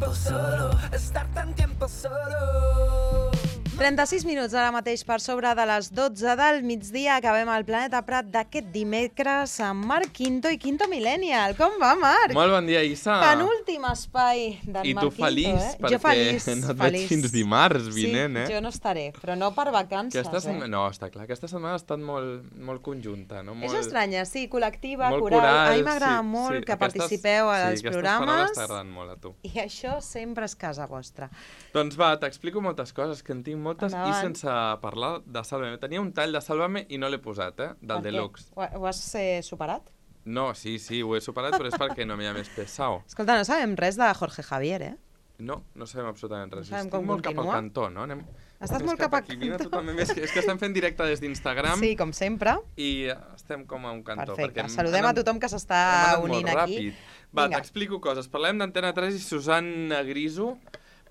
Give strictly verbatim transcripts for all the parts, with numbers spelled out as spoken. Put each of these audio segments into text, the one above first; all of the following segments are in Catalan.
tiempo solo, estar tan tiempo solo. trenta-sis minuts ara mateix per sobre de les dotze del migdia. Acabem el Planeta Prat d'aquest dimecres amb Marc Quinto i Quinto Millennial. Com va, Marc? Molt bon dia, Issa. Penúltim espai d'en I Marc tu feliç, Quinto, eh? perquè Jo feliç, no et feliç. veig fins dimarts vinent, eh? Sí, jo no estaré, però no per vacances, Aquesta setmana, eh? no, està clar. Aquesta setmana ha estat molt, molt conjunta, no? Molt, És estranya, sí, col·lectiva, molt coral. coral, A mi m'agrada sí, molt sí. que Aquestes- participeu sí, als aquestes programes. paraules t'agraden molt a tu. I això sempre és casa vostra. Doncs va, t'explico moltes coses, que en tinc moltes, Endavant. i sense parlar de Sálvame. Tenia un tall de Sálvame i no l'he posat, eh? Del Per què? Deluxe. Ho, ho has eh, superat? No, sí, sí, ho he superat, però és perquè no m'hi ha més pesau. Escolta, no sabem res de Jorge Javier, eh? No, no sabem absolutament res. No sabem Estic com molt cap al continua. cantó, no? Anem... Estàs Més molt cap al aquí. Vine tu cantó. també més. És que estem fent directe des d'Instagram Sí, com sempre. i estem com a un cantó. Perfecte. perquè hem Saludem a anat- tothom que s'està hem anat unint molt aquí. ràpid. Va, Vinga. t'explico coses. Parlem d'Antena tres i Susanna Griso.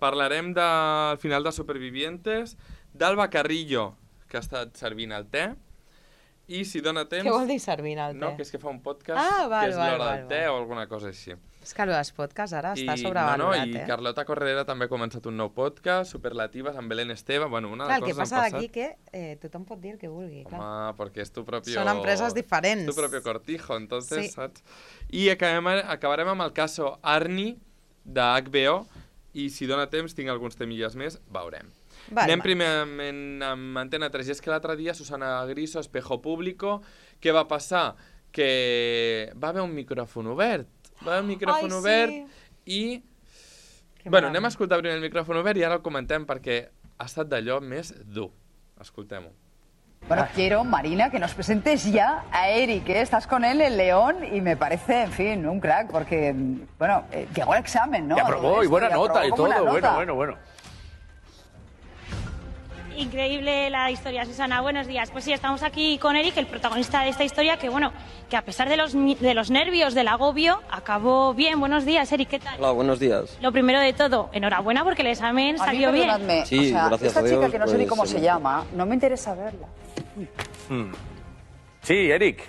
Parlarem del final de Supervivientes, d'Alba Carrillo, que ha estat servint el te, i si dona temps... Què vol dir servint el te? No, que és que fa un podcast Ah, val, que és val, l'hora val, del te val. o alguna cosa així. És que els podcasts ara està I, sobrevalorat, no, no, i eh? Carlota Corredera també ha començat un nou podcast, Superlatives, amb Belén Esteve. Bueno, una Clar, de el que coses passa han d'aquí passat. que eh, tothom pot dir el que vulgui, clar. Home, perquè és tu propio... Són empreses diferents. Tu propio cortijo, entonces, Sí. saps? I acabem, acabarem amb el caso Arnie, de H B O, i si dona temps, tinc alguns temilles més, veurem. Vale, Anem va. primerament amb Antena tres. I és que l'altre dia, Susana Griso, Espejo Público, què va passar? Que va haver un micròfon obert. Va haver un micròfon Ai, sí. obert i... Que Bueno, malament. anem a escoltar primer el micròfon obert i ara el comentem perquè ha estat d'allò més dur. Escoltem-ho. Bueno, quiero, Marina, que nos presentes ya a Eric, ¿eh? Estás con él en León y me parece, en fin, un crack, porque, bueno, eh, llegó el examen, ¿no? Ya aprobó, y buena nota y todo, bueno, bueno, bueno. Increíble la historia, Susana. Buenos días. Pues sí, estamos aquí con Eric, el protagonista de esta historia, que bueno, que a pesar de los, mi- de los nervios, del agobio, acabó bien. Buenos días, Eric, ¿qué tal? Hola, buenos días. Lo primero de todo, enhorabuena porque el examen A mí, salió bien. perdonadme, Sí, o sea, gracias esta a Dios, chica que no sé ni pues, cómo se sí. llama, no me interesa verla. Sí, Eric.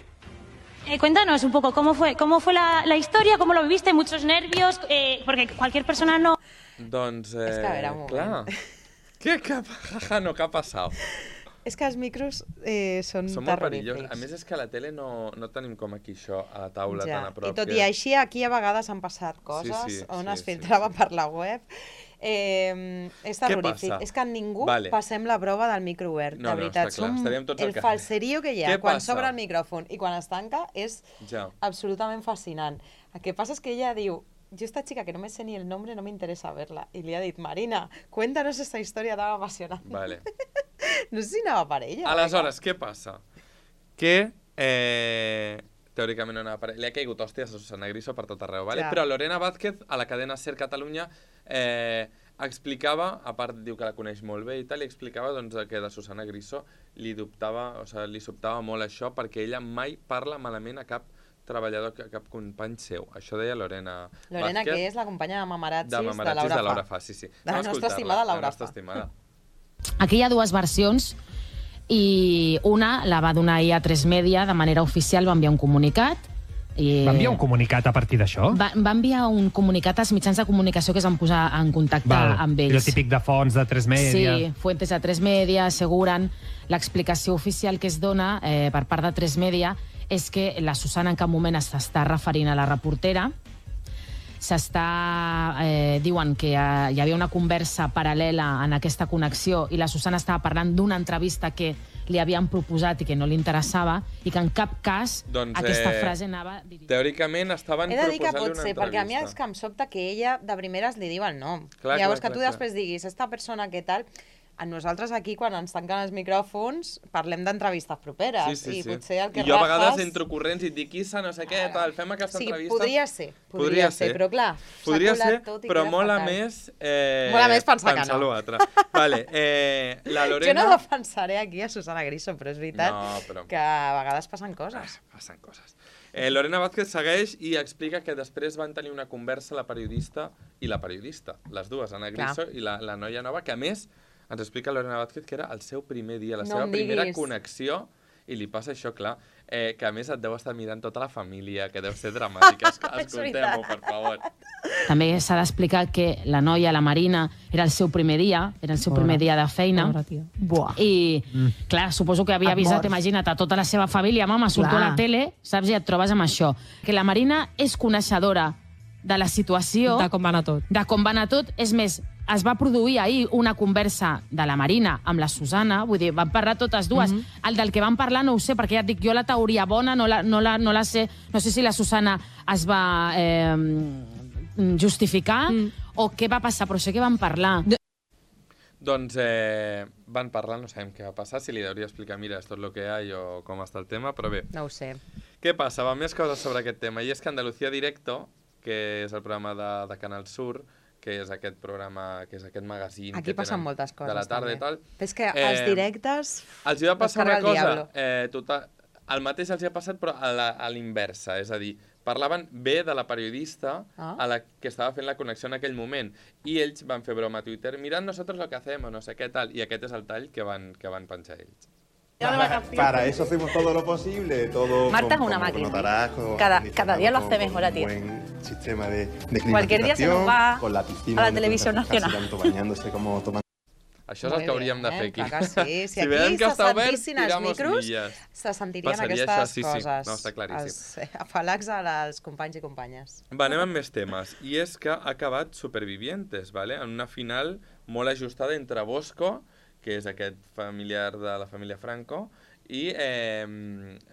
Eh, cuéntanos un poco cómo fue, cómo fue la, la historia, cómo lo viviste, muchos nervios, eh, porque cualquier persona no... Doncs, eh, És que, a veure, un moment. clar. Què, què, jaja, no, què ha passat? És que els micros eh, són, Són molt terrorífics. perillosos. A més, és que a la tele no, no tenim com aquí això, a la taula Ja. tan a prop. I tot que... i així, aquí a vegades han passat coses sí, on sí, es sí, filtrava sí. per la web. Eh, és terrorífic. passa? És que ningú Vale. passem la prova del micro obert, No, de no, veritat. està clar, Som estaríem tots al el carrer. falserío que hi ha Què quan passa? s'obre el micròfon i quan es tanca és Ja. absolutament fascinant. El que passa és que ella diu, yo esta chica que no me sé ni el nombre no me interesa verla. I li ha dit, Marina, cuéntanos esta historia tan apasionante. Vale. No sé si anava per ella. Aleshores, què passa? Que, eh, teòricament no anava per... Li ha caigut hòsties a Susana Griso per tot arreu, vale? Clar. Però Lorena Vázquez, a la cadena SER Catalunya, eh, explicava, a part diu que la coneix molt bé i tal, i explicava doncs, que de Susana Griso li dubtava, o sigui, li sobtava molt això perquè ella mai parla malament a cap treballador, a cap company seu. Això deia Lorena Lorena, Vázquez, que és la companya de Mamarazzis de de, Mamarazzis Laura de Laura Fa. Fa, sí, sí. De la Anem a nostra escoltar-la, estimada Laura La nostra Fa. estimada. Aquí hi ha dues versions i una la va donar ahir a tres Media de manera oficial, va enviar un comunicat. I Va enviar un comunicat a partir d'això? Va, va enviar un comunicat als mitjans de comunicació que es van posar en contacte Val. amb ells. I el típic de fons de tres Media. Sí, fuentes de tres Media asseguren l'explicació oficial que es dona eh, per part de tres Media és que la Susana en cap moment s'està referint a la reportera, s'està... Eh, diuen que eh, hi havia una conversa paral·lela en aquesta connexió i la Susana estava parlant d'una entrevista que li havien proposat i que no li interessava i que en cap cas Doncs, aquesta eh, frase anava dirigida. Teòricament estaven He de dir que proposant-li pot una ser, perquè a mi és entrevista. que em sobta que ella de primeres li diu el nom. Clar, Llavors clar, que tu clar, després diguis, esta persona que tal... A nosaltres aquí, quan ens tanquen els micròfons, parlem d'entrevistes properes. Sí, sí, I sí. potser el que I jo a vegades rafes... entro corrents i et dic, Issa, no sé què, tal, fem aquesta O sigui, entrevista. podria ser, podria, Podria ser, ser. però clar, s'ha Podria colat ser, tot i però queda mola fatal. més... Eh, Mola més pensar que no. l'altre. Vale, eh, la Lorena... Jo no defensaré aquí a Susana Griso, però és veritat No, però- que a vegades passen coses. Ah, passen coses. Eh, Lorena Vázquez segueix i explica que després van tenir una conversa la periodista i la periodista, les dues, Ana Griso i la, la noia nova, que a més ens explica Lorena Vázquez que era el seu primer dia, la No seva em primera diguis. connexió, i li passa això, clar, eh, que a més et deu estar mirant tota la família, que deu ser dramàtic. Es- És Escoltem-ho, veritat. per favor. També s'ha d'explicar que la noia, la Marina, era el seu primer dia, era el seu primer dia de feina. I, clar, suposo que havia avisat, imagina't, a tota la seva família, mama, surto a la tele, saps, i et trobes amb això. Que la Marina és coneixedora de la situació... De com va anar tot. De com va anar tot. És més, es va produir ahir una conversa de la Marina amb la Susana, vull dir, van parlar totes dues. Mm -hmm. El del que van parlar no ho sé, perquè ja et dic, jo la teoria bona no la, no la, no la sé, no sé si la Susana es va eh, justificar mm. o què va passar, però sé que van parlar. Doncs eh, van parlar, no sabem què va passar, si li hauria explicar, mira, esto es lo que hay o com està el tema, però bé. No ho sé. Què passa? Va, més coses sobre aquest tema, i és que Andalucía Directo, que és el programa de, de Canal Sur, que és aquest programa, que és aquest magazín... Aquí passen moltes coses, de la tarda també. I tal. És que els eh, directes... Els hi va passar una cosa, eh, total, el mateix els hi ha passat, però a l'inversa, és a dir, parlaven bé de la periodista ah. a la que estava fent la connexió en aquell moment, i ells van fer broma a Twitter, mirad nosotros lo que hacemos, no sé què tal, i aquest és el tall que van, que van penjar ells. Para, para eso hacemos todo lo posible, todo. Marta es una máquina. Cada, cada día lo hace mejor a ti. Un buen sistema de, de Cualquier día se nos va con la piscina, a la televisión nacional. Tanto bañándose como tomando. Això és el que hauríem de fer aquí. Sí, si aquí se sentissin els micros, se sentirien aquestes coses. No, està claríssim. Els afalacs als companys i companyes. Va, anem amb més temes. I és que ha acabat Supervivientes, ¿vale? En una final molt ajustada entre Bosco, que és aquest familiar de la família Franco, i eh,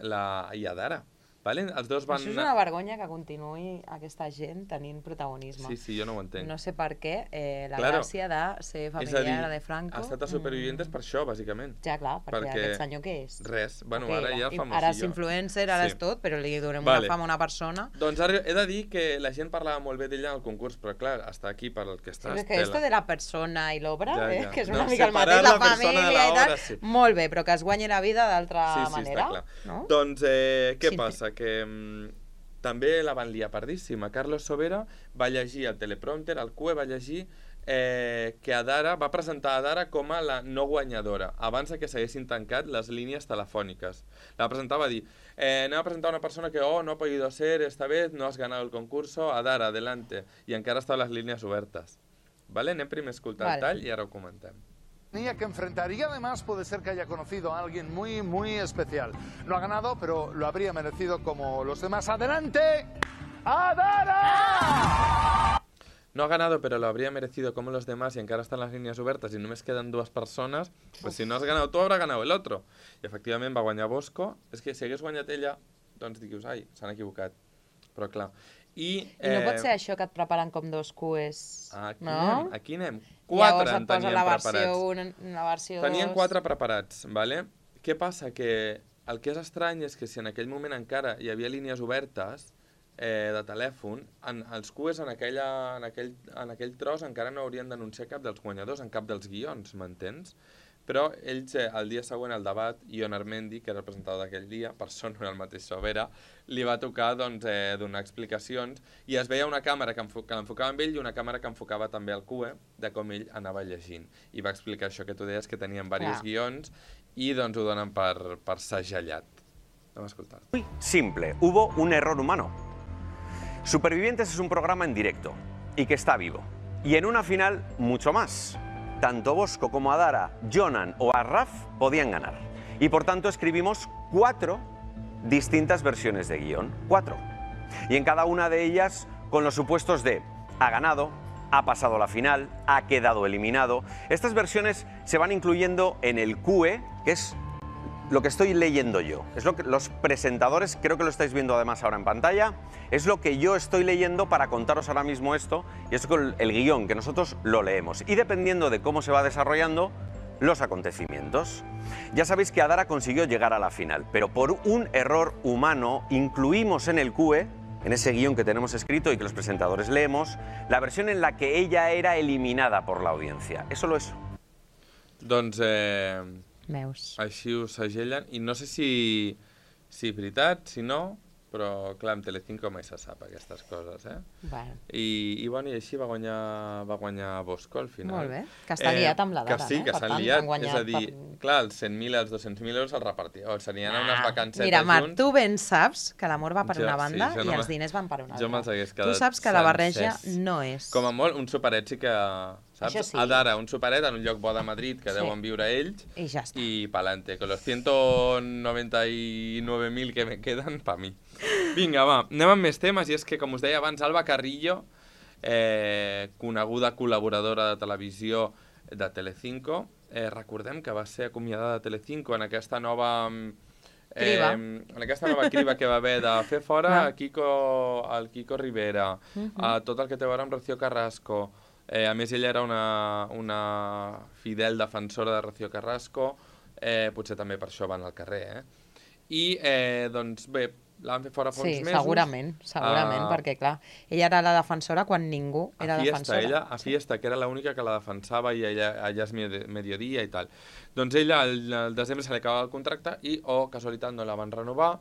la i Adara. Vale? Els dos van... Això és una vergonya que continuï aquesta gent tenint protagonisme. Sí, sí, jo no ho entenc. No sé per què eh, la claro. gràcia de ser familiar de Franco... Ha estat a Supervivientes mm. per això, bàsicament. Ja, clar, perquè, perquè aquest senyor què és? Res. Bueno, okay, ara ja famosillo. Ara és influencer, ara sí. és tot, però li donem vale. una fama a una persona. Doncs ara he de dir que la gent parlava molt bé d'ella al concurs, però clar, està aquí per el que està sí, que esto de la persona i l'obra, ja, ja. eh, que és una no, mica el mateix, la, la família i tal, sí. molt bé, però que es guanyi la vida d'altra sí, sí, manera. Està clar. No? Doncs eh, què sí. passa? Que... També la van liar pardíssima. Carlos Sobera va llegir el teleprompter, el C U E va llegir eh, que Adara va presentar Adara com a la no guanyadora, abans que s'haguessin tancat les línies telefòniques. La presentava a dir, eh, anem a presentar una persona que, oh, no ha podido ser, esta vez no has ganado el concurso, Adara, adelante. I encara estaven les línies obertes. Vale? Anem primer a escoltar vale. el tall i ara ho comentem. Que enfrentar y además puede ser que haya conocido a alguien muy, muy especial. No ha ganado, pero lo habría merecido como los demás. ¡Adelante! ¡Adara! No ha ganado, pero lo habría merecido como los demás y encara están las líneas obertas y només queden dues persones, pues si no has ganado tu, habrá ganado el otro. I efectivament va guanyar Bosco. És que si hagués guanyat ella, doncs dius, ai, s'han equivocat. Però clar... I, I no eh... pot ser això que et preparen com dos C U Es, aquí no? Anem, aquí anem. Quatre en tenien la preparats. Versió un, la versió tenien dos. quatre preparats, vale? Què passa? Que el que és estrany és que si en aquell moment encara hi havia línies obertes eh, de telèfon, en, els C U Es en, aquella, en, aquell, en aquell tros encara no haurien d'anunciar cap dels guanyadors, en cap dels guions, m'entens? Però ells, eh, el dia següent al debat, Ion Armendi, que era el presentador d'aquell dia, per sort no era el mateix Sobera, li va tocar doncs, eh, donar explicacions i es veia una càmera que, que l'enfocava amb ell i una càmera que enfocava també el C U E de com ell anava llegint. I va explicar això que tu deies, que tenien diversos ah. guions i doncs ho donen per, per segellat. Vamos a escoltar. Muy simple, hubo un error humano. Supervivientes es un programa en directo y que está vivo. Y en una final, mucho más. Tanto Bosco como Adara, Jonan o Arraf podían ganar. Y por tanto escribimos cuatro distintas versiones de guión. Cuatro. Y en cada una de ellas con los supuestos de ha ganado, ha pasado la final, ha quedado eliminado. Estas versiones se van incluyendo en el C U E, que es lo que estoy leyendo yo. Es lo que los presentadores, creo que lo estáis viendo además ahora en pantalla, es lo que yo estoy leyendo para contaros ahora mismo esto, y es con el guión, que nosotros lo leemos. Y dependiendo de cómo se va desarrollando los acontecimientos. Ya sabéis que Adara consiguió llegar a la final, pero por un error humano incluimos en el C U E, en ese guión que tenemos escrito y que los presentadores leemos, la versión en la que ella era eliminada por la audiencia. És solo eso. Doncs eh, Meus. així ho segellen i no sé si, si veritat, si no, però clar, amb Telecinco mai se sap aquestes coses, eh? Bueno. I, i, bueno, i així va guanyar, va guanyar Bosco al final. Molt bé, que està liat amb la Que Dara, sí, no? que Per s'han tant, liat, han guanyat és a dir, per- clar, els cent mil i els dos-cents mil euros els repartia, o serien unes vacancetes Mira, Marc, junts. tu ben saps que l'amor va per Jo- una sí, banda jo i no els me- diners van per una Jo altra. me'ls hagués Tu quedat saps que la barreja sencers. no és. Com a molt, un superet sí que... Saps? Això sí. A Dara, un superet en un lloc bo de Madrid que Sí. deuen viure ells. I ja està. I pa'lante, con los ciento noventa y nueve mil que me queden, pa mi. Vinga, va, anem amb més temes, i és que, com us deia abans, Alba Carrillo, eh, coneguda col·laboradora de televisió de Telecinco, eh, recordem que va ser acomiadada de Telecinco en aquesta nova... Eh, Criba. en aquesta nova criba que va haver de fer fora a Kiko, el Kiko Rivera, Mhm. a tot el que té a veure amb Rocío Carrasco. Eh, a més, ella era una, una fidel defensora de Rocío Carrasco, eh, potser també per això van al carrer, eh? I, eh, doncs, bé, la van fer fora fa Sí, uns mesos. segurament, segurament, Ah, perquè, clar, ella era la defensora quan ningú era a Fiesta, defensora. ella, a Fiesta, que era l'única que la defensava i ella, ella és medi- mediodía i tal. Doncs ella, al, al desembre se li acabava el contracte i, oh, casualitat, no la van renovar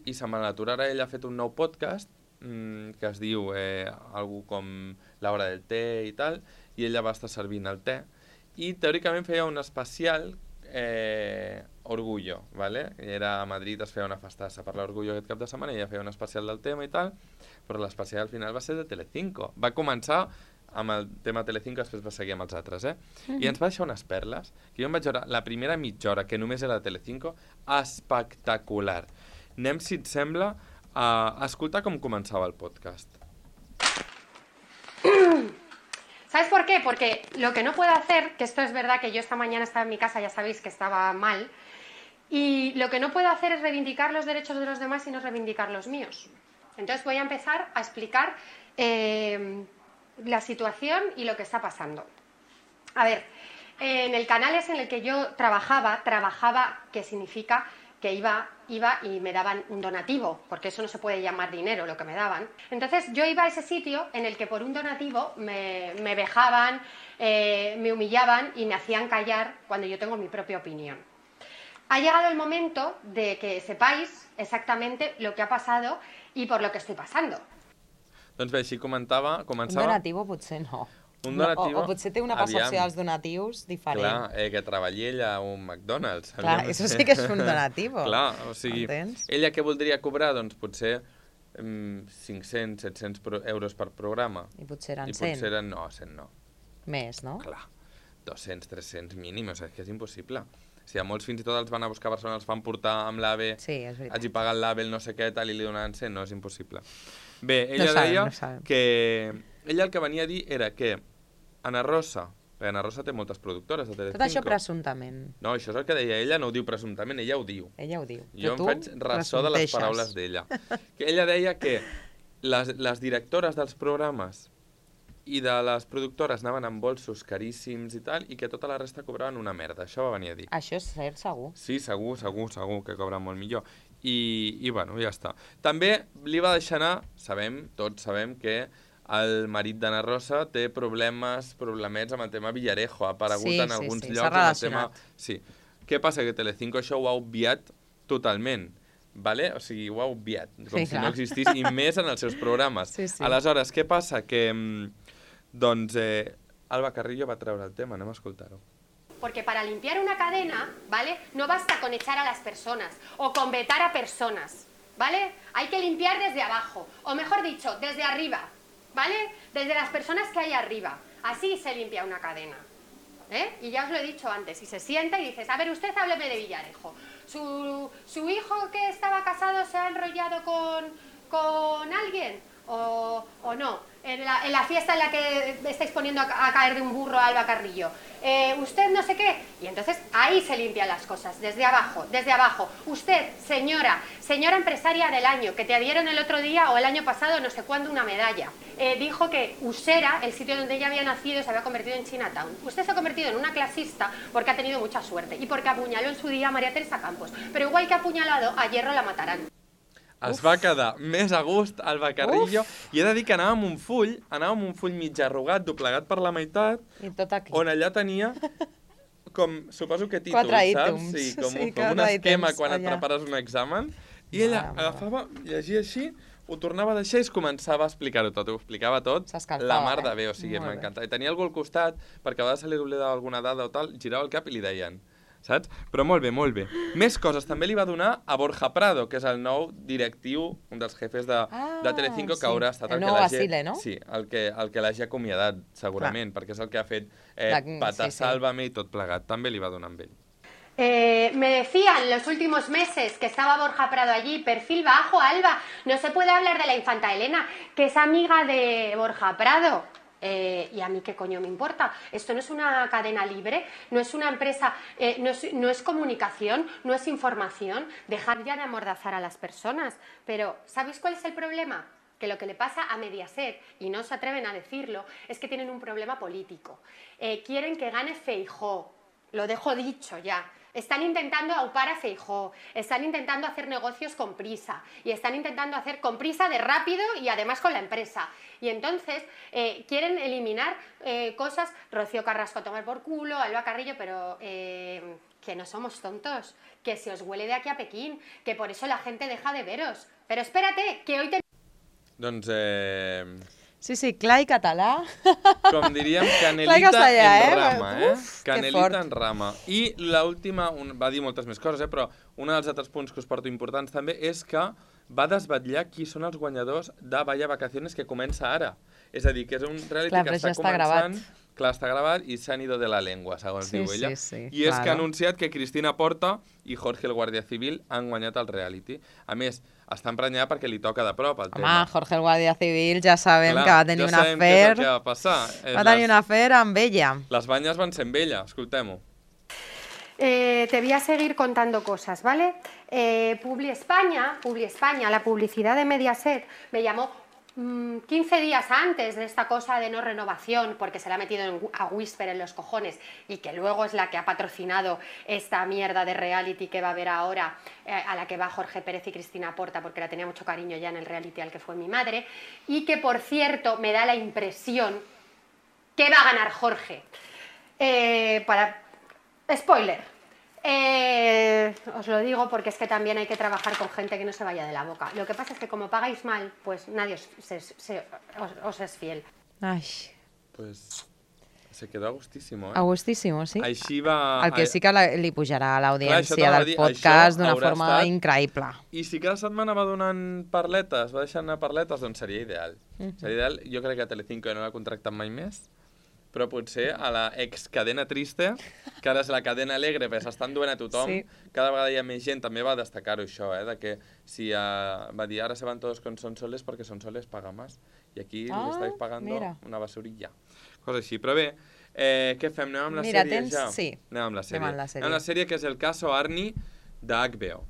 i se'n van aturar. Ara ella ha fet un nou podcast mmm, que es diu eh, algú com l'hora del té i tal, i ella va estar servint el té i teòricament feia un especial eh, Orgullo, ¿vale? Era a Madrid, es feia una festassa per l'Orgullo aquest cap de setmana i ella feia un especial del tema i tal, però l'especial al final va ser de Telecinco. Va començar amb el tema Telecinco, després va seguir amb els altres, eh? Mhm. I ens va deixar unes perles, que jo em vaig veure la primera mitja hora, que només era de Telecinco, espectacular. Anem, si et sembla, a escoltar com començava el podcast. ¿Sabes por qué? Porque lo que no puedo hacer, que esto es verdad que yo esta mañana estaba en mi casa, ya sabéis que estaba mal, y lo que no puedo hacer es reivindicar los derechos de los demás y no reivindicar los míos. Entonces voy a empezar a explicar eh, la situación y lo que está pasando. A ver, en el canal ese en el que yo trabajaba, trabajaba, que significa que iba, iba y me daban un donativo, porque eso no se puede llamar dinero lo que me daban. Entonces yo iba a ese sitio en el que por un donativo me, me vejaban, eh, me humillaban y me hacían callar cuando yo tengo mi propia opinión. Ha llegado el momento de que sepáis exactamente lo que ha pasado y por lo que estoy pasando. Doncs bé, així comentava, Un començava... donativo potser no. Un donativo, O, o potser té una percepció aviam. dels donatius diferent. Clar, eh, que treballi ella a un McDonald's. Clar, aviam. això sí que és un donativo. Clar, o sigui, Entens? ella què voldria cobrar? Doncs potser mm, cinc-cents, set-cents pro- euros per programa. I potser eren I cent. potser eren, no, cent no. Més, no? Clar, dos-cents, tres-cents mínim, o sigui, és que és impossible. O sigui, a molts fins i tot els van a buscar a Barcelona, els van portar amb l'AVE, sí, és veritat. hagi pagat l'AVE, el no sé què, tal, i li donaven cent, no, és impossible. Bé, ella No sabem, deia no sabem. que... Ella el que venia a dir era que Ana Rosa, perquè Ana Rosa té moltes productores de Telecinco. Tot això presumptament. No, això és el que deia ella, no ho diu presumptament, ella ho diu. Ella ho diu. Jo Però em tu faig ressò de les presumpteixes. paraules d'ella. Que ella deia que les, les directores dels programes i de les productores anaven amb bolsos caríssims i tal, i que tota la resta cobraven una merda. Això va venir a dir. Això és cert, segur. Sí, segur, segur, segur que cobren molt millor. I, i bueno, ja està. També li va deixar anar, sabem, tots sabem que el marit d'Ana Rosa té problemes, problemets amb el tema Villarejo, ha aparegut Sí, en sí, alguns sí, llocs s'ha amb el tema... relacionat. Sí. Què passa? Que Telecinco això ho ha obviat totalment. Vale? O sigui, ho ha obviat, com Sí, si clar. no existís, i més en els seus programes. Sí, sí. Aleshores, què passa? Que, mm, doncs, eh, Alba Carrillo va treure el tema, anem a escoltar-ho. Porque para limpiar una cadena, ¿vale? No basta con echar a las personas o con vetar a personas, ¿vale? Hay que limpiar desde abajo, o mejor dicho, desde arriba, ¿vale? Desde las personas que hay arriba. Así se limpia una cadena. ¿Eh? Y ya os lo he dicho antes, si se sienta y dices, a ver, usted hábleme de Villarejo. ¿Su, su hijo que estaba casado se ha enrollado con, con alguien o, o no? En la, en la fiesta en la que estáis poniendo a, a caer de un burro a Alba Carrillo. Eh, usted no sé qué. Y entonces ahí se limpian las cosas, desde abajo, desde abajo. Usted, señora, señora empresaria del año, que te dieron el otro día o el año pasado no sé cuándo una medalla, eh, dijo que Usera, el sitio donde ella había nacido, se había convertido en Chinatown. Usted se ha convertido en una clasista porque ha tenido mucha suerte y porque apuñaló en su día a María Teresa Campos. Pero igual que ha apuñalado, a Hierro la matarán. Es va quedar més a gust Alba Carrillo i he de dir que anava amb un full, anava amb un full mig arrugat, doblegat per la meitat, I tot aquí. on allà tenia com, suposo que títols, Quatre saps? ítems. Sí, com, Sí, com un quatre esquema ítems quan et allà. prepares un examen. I ella agafava, llegia així, ho tornava a deixar i es començava a explicar-ho tot, ho explicava tot, la mar de bé, o sigui, m'encantava. I tenia algú al costat, perquè a vegades se li oblidava alguna dada o tal, girava el cap i li deien, saps? Però molt bé, molt bé. Més coses, també li va donar a Borja Prado, que és el nou directiu, un dels jefes de, de Telecinco, que haurà estat el, el que l'hagi... No? Sí, el que, el que l'hagi acomiadat, segurament, Clar. perquè és el que ha fet eh, Patar sí, sí. Sálvame i tot plegat. També li va donar amb ell. Eh, me decían los últimos meses que estaba Borja Prado allí, perfil bajo, Alba, no se puede hablar de la infanta Elena, que es amiga de Borja Prado. Eh, y a mí qué coño me importa. Esto no es una cadena libre, no es una empresa, eh, no, es, no es comunicación, no es información. Dejad ya de amordazar a las personas. Pero, ¿sabéis cuál es el problema? Que lo que le pasa a Mediaset, y no se atreven a decirlo, es que tienen un problema político. Eh, quieren que gane Feijóo. Lo dejo dicho ya. Están intentando aupar a Feijóo, están intentando hacer negocios con prisa y están intentando hacer con prisa de rápido y además con la empresa. Y entonces eh, quieren eliminar eh, cosas, Rocío Carrasco a tomar por culo, Alba Carrillo, pero eh, que no somos tontos, que se os huele de aquí a Pekín, que por eso la gente deja de veros. Pero espérate, que hoy te... Doncs eh... Sí, sí, clar i català. Com diríem, canelita castellà, en eh? rama, eh? Uf, canelita en rama. I l'última, va dir moltes més coses, eh? Però un dels altres punts que us porto importants també és que va desvetllar qui són els guanyadors de Vaya Vacaciones, que comença ara. És a dir, que és un reality clar, que està ja està començant... Gravat. Clar, està gravat i s'han ido de la lengua, segons sí, diu ella. Sí, sí, I és claro. que ha anunciat que Cristina Porta i Jorge el Guàrdia Civil han guanyat el reality. A més, està emprenyada perquè li toca de prop el Home, tema. Home, Jorge el Guàrdia Civil ja sabem Clar, que va tenir ja un afer... què és el que va passar. Va tenir un afer amb ella. Les banyes van ser amb ella, escoltem-ho. Eh, te voy a seguir contando cosas, ¿vale? Eh, Publi España, Publi España, la publicidad de Mediaset, me llamó mmm, quince días antes de esta cosa de no renovación, porque se la ha metido en, a Whisper en los cojones y que luego es la que ha patrocinado esta mierda de reality que va a haber ahora, eh, a la que va Jorge Pérez y Cristina Porta, porque la tenía mucho cariño ya en el reality al que fue mi madre, y que, por cierto, me da la impresión que va a ganar Jorge. Eh, para... Spoiler. Eh, os lo digo porque es que también hay que trabajar con gente que no se vaya de la boca. Lo que pasa es que como pagáis mal, pues nadie os, se, se, os, os es fiel. Ai. Pues se quedó a gustísimo, eh? A gustísimo, sí. Així va... El que sí que la, li pujarà a l'audiència del dir, podcast d'una forma estat... increïble. I si cada setmana va donant parletes, va deixant anar parletes, doncs seria ideal. Uh -huh. Seria ideal. Jo crec que Telecinco no l'ha contractat mai més, però potser a la ex-cadena triste, que ara és la cadena alegre, perquè s'estan duent a tothom, sí. Cada vegada hi ha més gent, també va destacar-ho això, eh, de que si uh, va dir ara se van todos con Sonsoles perquè Sonsoles paga más, i aquí ah, li estáis pagando mira. Una basurilla. Cosa així, però bé, eh, què fem? Anem amb la mira, sèrie tens... ja? Sí. Anem amb la sèrie. Anem amb la sèrie. Anem amb la sèrie, que és el caso Arni, de H B O.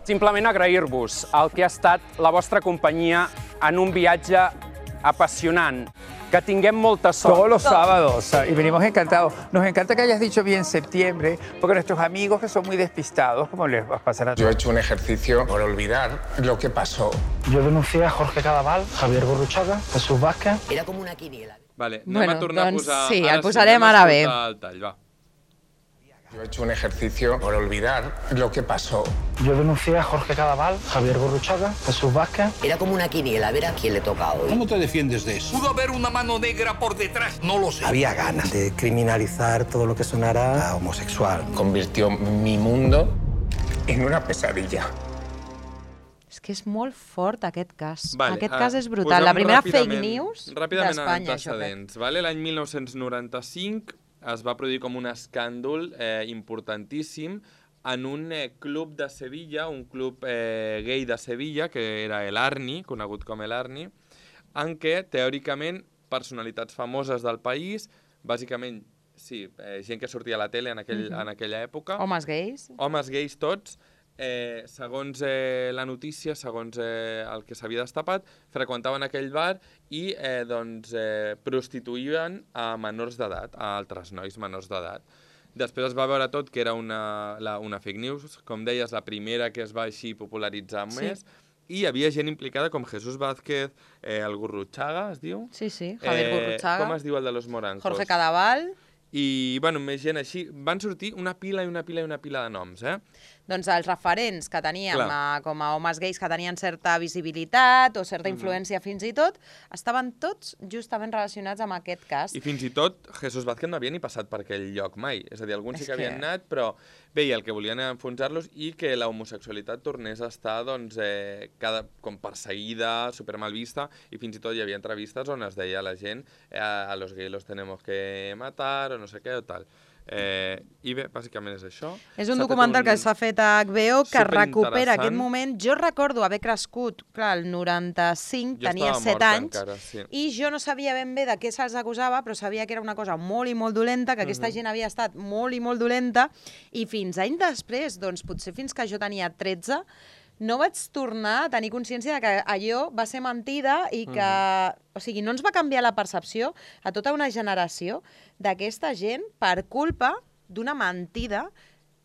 Simplement agrair-vos el que ha estat la vostra companyia en un viatge apasionant. Que tinguem molta sort. Todos los sábados, y venimos encantados. Nos encanta que hayas dicho bien septiembre, porque nuestros amigos que son muy despistados, ¿cómo les va a pasar a todos? Yo he hecho un ejercicio por olvidar lo que pasó. Yo denuncié a Jorge Cadaval, Javier Gurruchaga, Jesús Vázquez. Era com una quiniela. Vale, anem bueno, a tornar doncs, a posar... Sí, ara el posarem ara bé. El tall, va. Yo he hecho un ejercicio por olvidar lo que pasó. Yo denuncié a Jorge Cadaval, Javier Gurruchaga, Jesús Vázquez. Era como una quiniela, a ver a quién le toca hoy. ¿Cómo te defiendes de eso? ¿Pudo haber una mano negra por detrás? No lo sé. Había ganas de criminalizar todo lo que sonara a homosexual. Convirtió mi mundo en una pesadilla. És que és molt fort aquest cas. Vale, aquest uh, cas és brutal. La primera fake news d'Espanya. Ràpidament en antecedents. Vale? L'any mil nou-cents noranta-cinc es va produir com un escàndol eh, importantíssim en un eh, club de Sevilla, un club eh, gay de Sevilla, que era el Arni, conegut com el Arni, en què, teòricament, personalitats famoses del país, bàsicament, sí, eh, gent que sortia a la tele en, aquell, mm-hmm. en aquella època... Homes gais. Homes gais tots, eh, segons eh, la notícia, segons eh, el que s'havia destapat, freqüentaven aquell bar i eh, doncs, eh, prostituïen a menors d'edat, a altres nois menors d'edat. Després es va veure tot que era una, la, una fake news, com deies, la primera que es va així popularitzar més, sí. I hi havia gent implicada com Jesús Vázquez, eh, el Gurruchaga, es diu? Sí, sí, Javier eh, Gurruchaga. Com es diu el de los morancos? Jorge Cadaval. I, bueno, més gent així. Van sortir una pila i una pila i una pila de noms, eh? doncs els referents que teníem Clar. eh, com a homes gais que tenien certa visibilitat o certa influència fins i tot, estaven tots justament relacionats amb aquest cas. I fins i tot Jesús Vázquez no havia ni passat per aquell lloc mai. És a dir, alguns sí que És que- havien anat, però bé, i el que volien era enfonsar-los i que la homosexualitat tornés a estar doncs, eh, cada, com perseguida, supermal vista, i fins i tot hi havia entrevistes on es deia a la gent eh, a los gays los tenemos que matar o no sé què o tal. Eh, I bé, bàsicament és això. És un S'ha fet documental que s'ha fet a H B O que recupera superinteressant. aquest moment. Jo recordo haver crescut, clar, el noranta-cinc, Jo tenia estava set morta anys, encara, sí. i jo no sabia ben bé de què se'ls acusava, però sabia que era una cosa molt i molt dolenta, que aquesta Mhm. gent havia estat molt i molt dolenta, i fins anys després, doncs potser fins que jo tenia tretze, no vaig tornar a tenir consciència de que allò va ser mentida i que... O sigui, no ens va canviar la percepció a tota una generació d'aquesta gent per culpa d'una mentida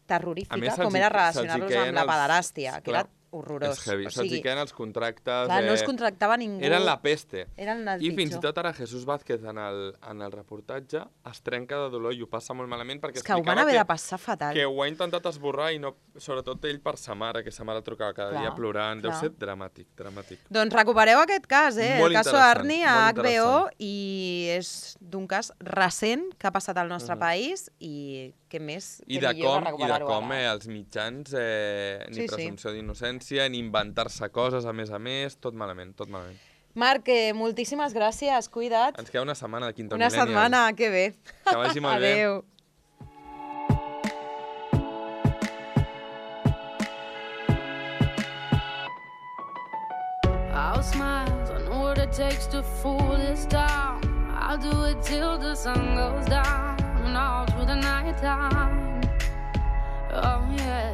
terrorífica, A més, com se'ls hi- era se'ls hi relacionar-los queien amb la els- pederàstia, que clar, era horrorós. És heavy, O se'ls hi sigui, queden els contractes... clar, no els eh, contractava ningú. Eren la peste. Eren el I fins i pitjor. tot ara Jesús Vázquez en el, en el reportatge es trenca de dolor i ho passa molt malament perquè És que ho van explicava haver que, de passar fatal. que ho ha intentat esborrar i no, sobretot ell per sa mare, que sa mare trucava cada Clar, dia plorant. Deu clar. ser dramàtic, dramàtic. Doncs recupereu aquest cas, eh? Molt el cas interessant, Arni a molt H B O, interessant. i és d'un cas recent que ha passat al nostre Mhm. país i què més, I què de millor com, que i de recuperar-ho com ara. eh, els mitjans, eh, ni Sí, sí. presumpció d'innocència, ni inventar-se coses, a més a més, tot malament, tot malament. Marc, eh, moltíssimes gràcies, cuida't. Ens queda una setmana de Quinto Una Millennial. setmana, que bé. Que vagi molt bé. Adéu. I'll smile, I know what it takes to fool this town. I'll do it till the sun goes down and all through the night time. Oh yeah,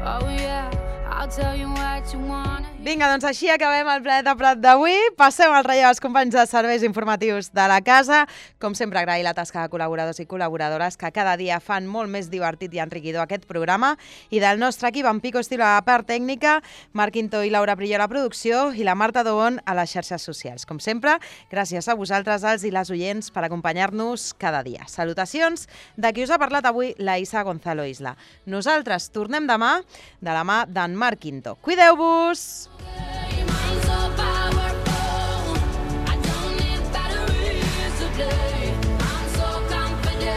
oh yeah, I'll tell you what you want. Vinga, doncs així acabem el Planeta Prat d'avui. Passem al relleu als companys de serveis informatius de la casa. Com sempre, agrair la tasca de col·laboradors i col·laboradores que cada dia fan molt més divertit i enriquidor aquest programa. I del nostre equip, en Pico Estilo a la part tècnica, Marc Quintó i Laura Prillo a la producció i la Marta Dobon a les xarxes socials. Com sempre, gràcies a vosaltres, els i les oients, per acompanyar-nos cada dia. Salutacions de qui us ha parlat avui, la Isa Gonzalo Isla. Nosaltres tornem demà de la mà d'en Marc Quintó. Cuideu-vos!